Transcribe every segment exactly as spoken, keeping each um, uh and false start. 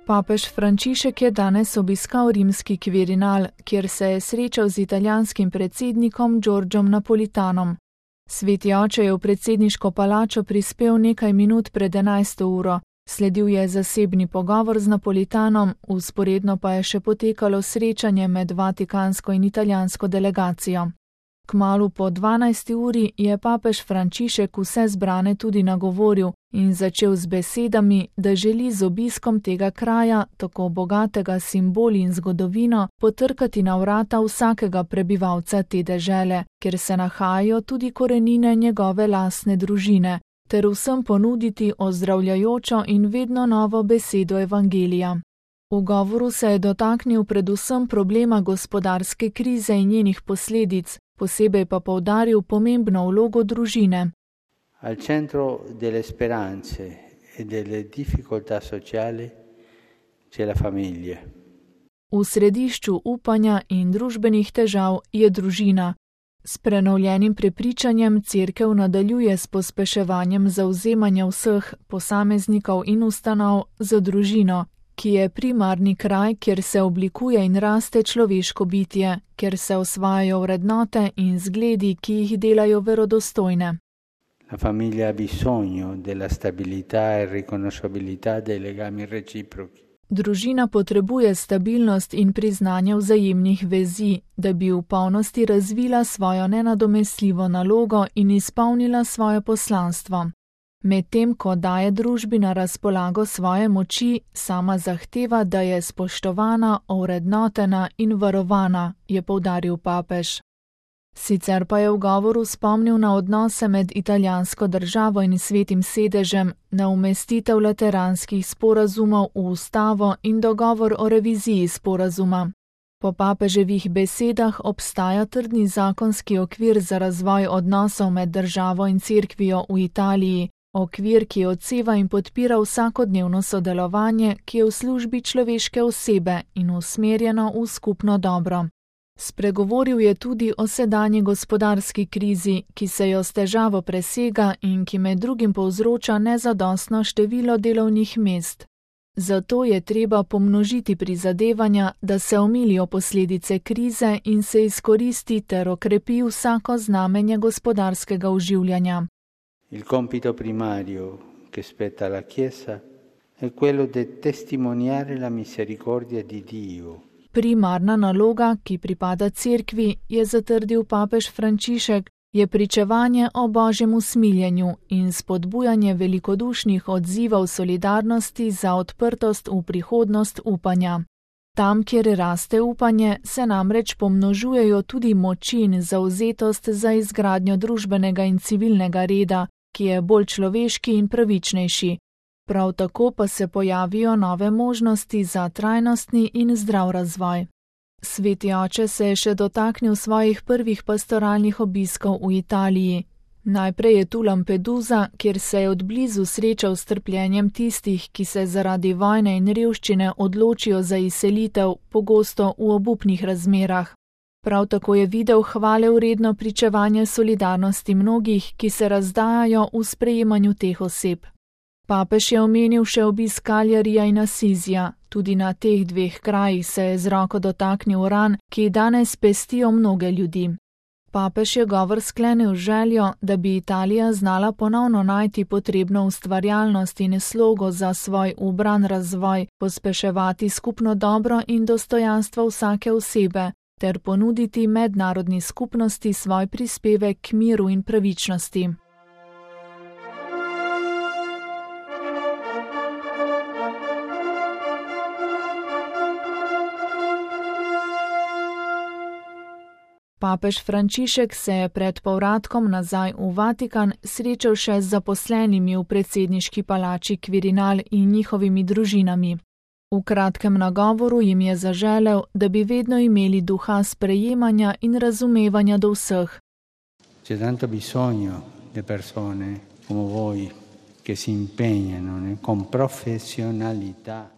Papež Frančišek je danes obiskal rimski Quirinal, kjer se je srečal z italijanskim predsednikom Giorgiom Napolitanom. Sveti oče je v predsedniško palačo prispel nekaj minut pred enajsto uro, sledil je zasebni pogovor z Napolitanom, vzporedno pa je še potekalo srečanje med vatikansko in italijansko delegacijo. Kmalu po dvanajsti uri je papež Frančišek vse zbrane tudi nagovoril in začel z besedami, da želi z obiskom tega kraja, tako bogatega s simboli in zgodovino, potrkati na vrata vsakega prebivalca te dežele, kjer se nahajajo tudi korenine njegove lastne družine, ter vsem ponuditi ozdravljajočo in vedno novo besedo evangelija. V govoru se je dotaknil predvsem problema gospodarske krize in njenih posledic, posebej pa poudaril pomembno vlogo družine. Al centro delle speranze e delle difficoltà sociali c'è la famiglia. V središču upanja in družbenih težav je družina. S prenovljenim prepričanjem cerkev nadaljuje s pospeševanjem zavzemanja vseh posameznikov in ustanov za družino, ki je primarni kraj, kjer se oblikuje in raste človeško bitje, kjer se osvajajo vrednote in zgledi, ki jih delajo verodostojne. La famiglia ha bisogno della stabilità e riconoscibilità dei legami reciproci. Družina potrebuje stabilnost in priznanje vzajemnih vezi, da bi v polnosti razvila svojo nenadomestljivo nalogo in izpolnila svoje poslanstvo. Medtem ko daje družbi na razpolago svoje moči, sama zahteva, da je spoštovana, ovrednotena in varovana, je poudaril papež. Sicer pa je v govoru spomnil na odnose med italijansko državo in svetim sedežem, na umestitev lateranskih sporazumov v ustavo in dogovor o reviziji sporazuma. Po papeževih besedah obstaja trdni zakonski okvir za razvoj odnosov med državo in cerkvijo v Italiji, okvir, ki odseva in podpira vsakodnevno sodelovanje, ki je v službi človeške osebe in usmerjeno v skupno dobro. Spregovoril je tudi o sedanji gospodarski krizi, ki se jo s težavo presega in ki med drugim povzroča nezadostno število delovnih mest. Zato je treba pomnožiti prizadevanja, da se omilijo posledice krize in se izkoristi ter okrepi vsako znamenje gospodarskega oživljanja. Il compito primario che spetta alla Chiesa è quello di testimoniare la misericordia di Dio. Primarna naloga, ki pripada cerkvi, je zatrdil papež Frančišek, je pričevanje o Božjem usmiljenju in spodbujanje velikodušnih odzivov solidarnosti za odprtost v prihodnost upanja. Tam, kjer raste upanje, se namreč pomnožujejo tudi moči in zavzetost za izgradnjo družbenega in civilnega reda, ki je bolj človeški in pravičnejši. Prav tako pa se pojavijo nove možnosti za trajnostni in zdrav razvoj. Sveti oče se je še dotaknil svojih prvih pastoralnih obiskov v Italiji. Najprej je tu Lampedusa, kjer se je odblizu srečal s trpljenjem tistih, ki se zaradi vojne in revščine odločijo za izselitev, pogosto v obupnih razmerah. Prav tako je videl hvale vredno pričevanje solidarnosti mnogih, ki se razdajajo v sprejemanju teh oseb. Papež je omenil še obisk Kaljarija in Asizija. Tudi na teh dveh krajih se je z roko dotaknil ran, ki danes pestijo mnoge ljudi. Papež je govor sklenil željo, da bi Italija znala ponovno najti potrebno ustvarjalnost in slogo za svoj ubran razvoj, pospeševati skupno dobro in dostojanstvo vsake osebe, ter ponuditi mednarodni skupnosti svoj prispevek k miru in pravičnosti. Papež Frančišek se je pred povratkom nazaj v Vatikan srečal še z zaposlenimi v predsedniški palači Quirinal in njihovimi družinami. V kratkem nagovoru jim je zaželel, da bi vedno imeli duha sprejemanja in razumevanja do vseh. C'è tanto bisogno di persone come voi che si impegnano con professionalità.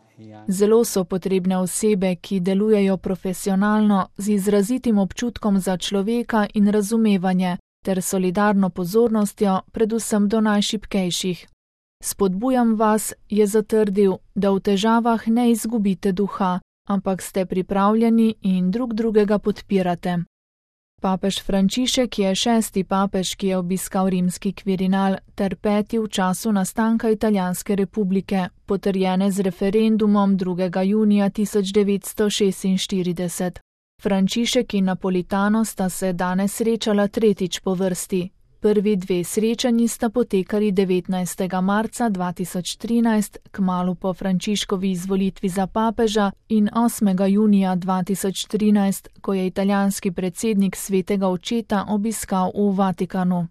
Zelo so potrebne osebe, ki delujejo profesionalno, z izrazitim občutkom za človeka in razumevanje, ter solidarno pozornostjo, predvsem do najšibkejših. Spodbujam vas, je zatrdil, da v težavah ne izgubite duha, ampak ste pripravljeni in drug drugega podpirate. Papež Frančišek je šesti papež, ki je obiskal rimski Kvirinal, ter peti v času nastanka Italijanske republike, potrjene z referendumom drugega junija tisoč devetsto šestinštirideset. Frančišek in Napolitano sta se danes srečala tretjič po vrsti. Prvi dve srečanji sta potekali devetnajstega marca dva tisoč trinajst, kmalu po Frančiškovi izvolitvi za papeža, in osmega junija dva tisoč trinajst, ko je italijanski predsednik Svetega očeta obiskal v Vatikanu.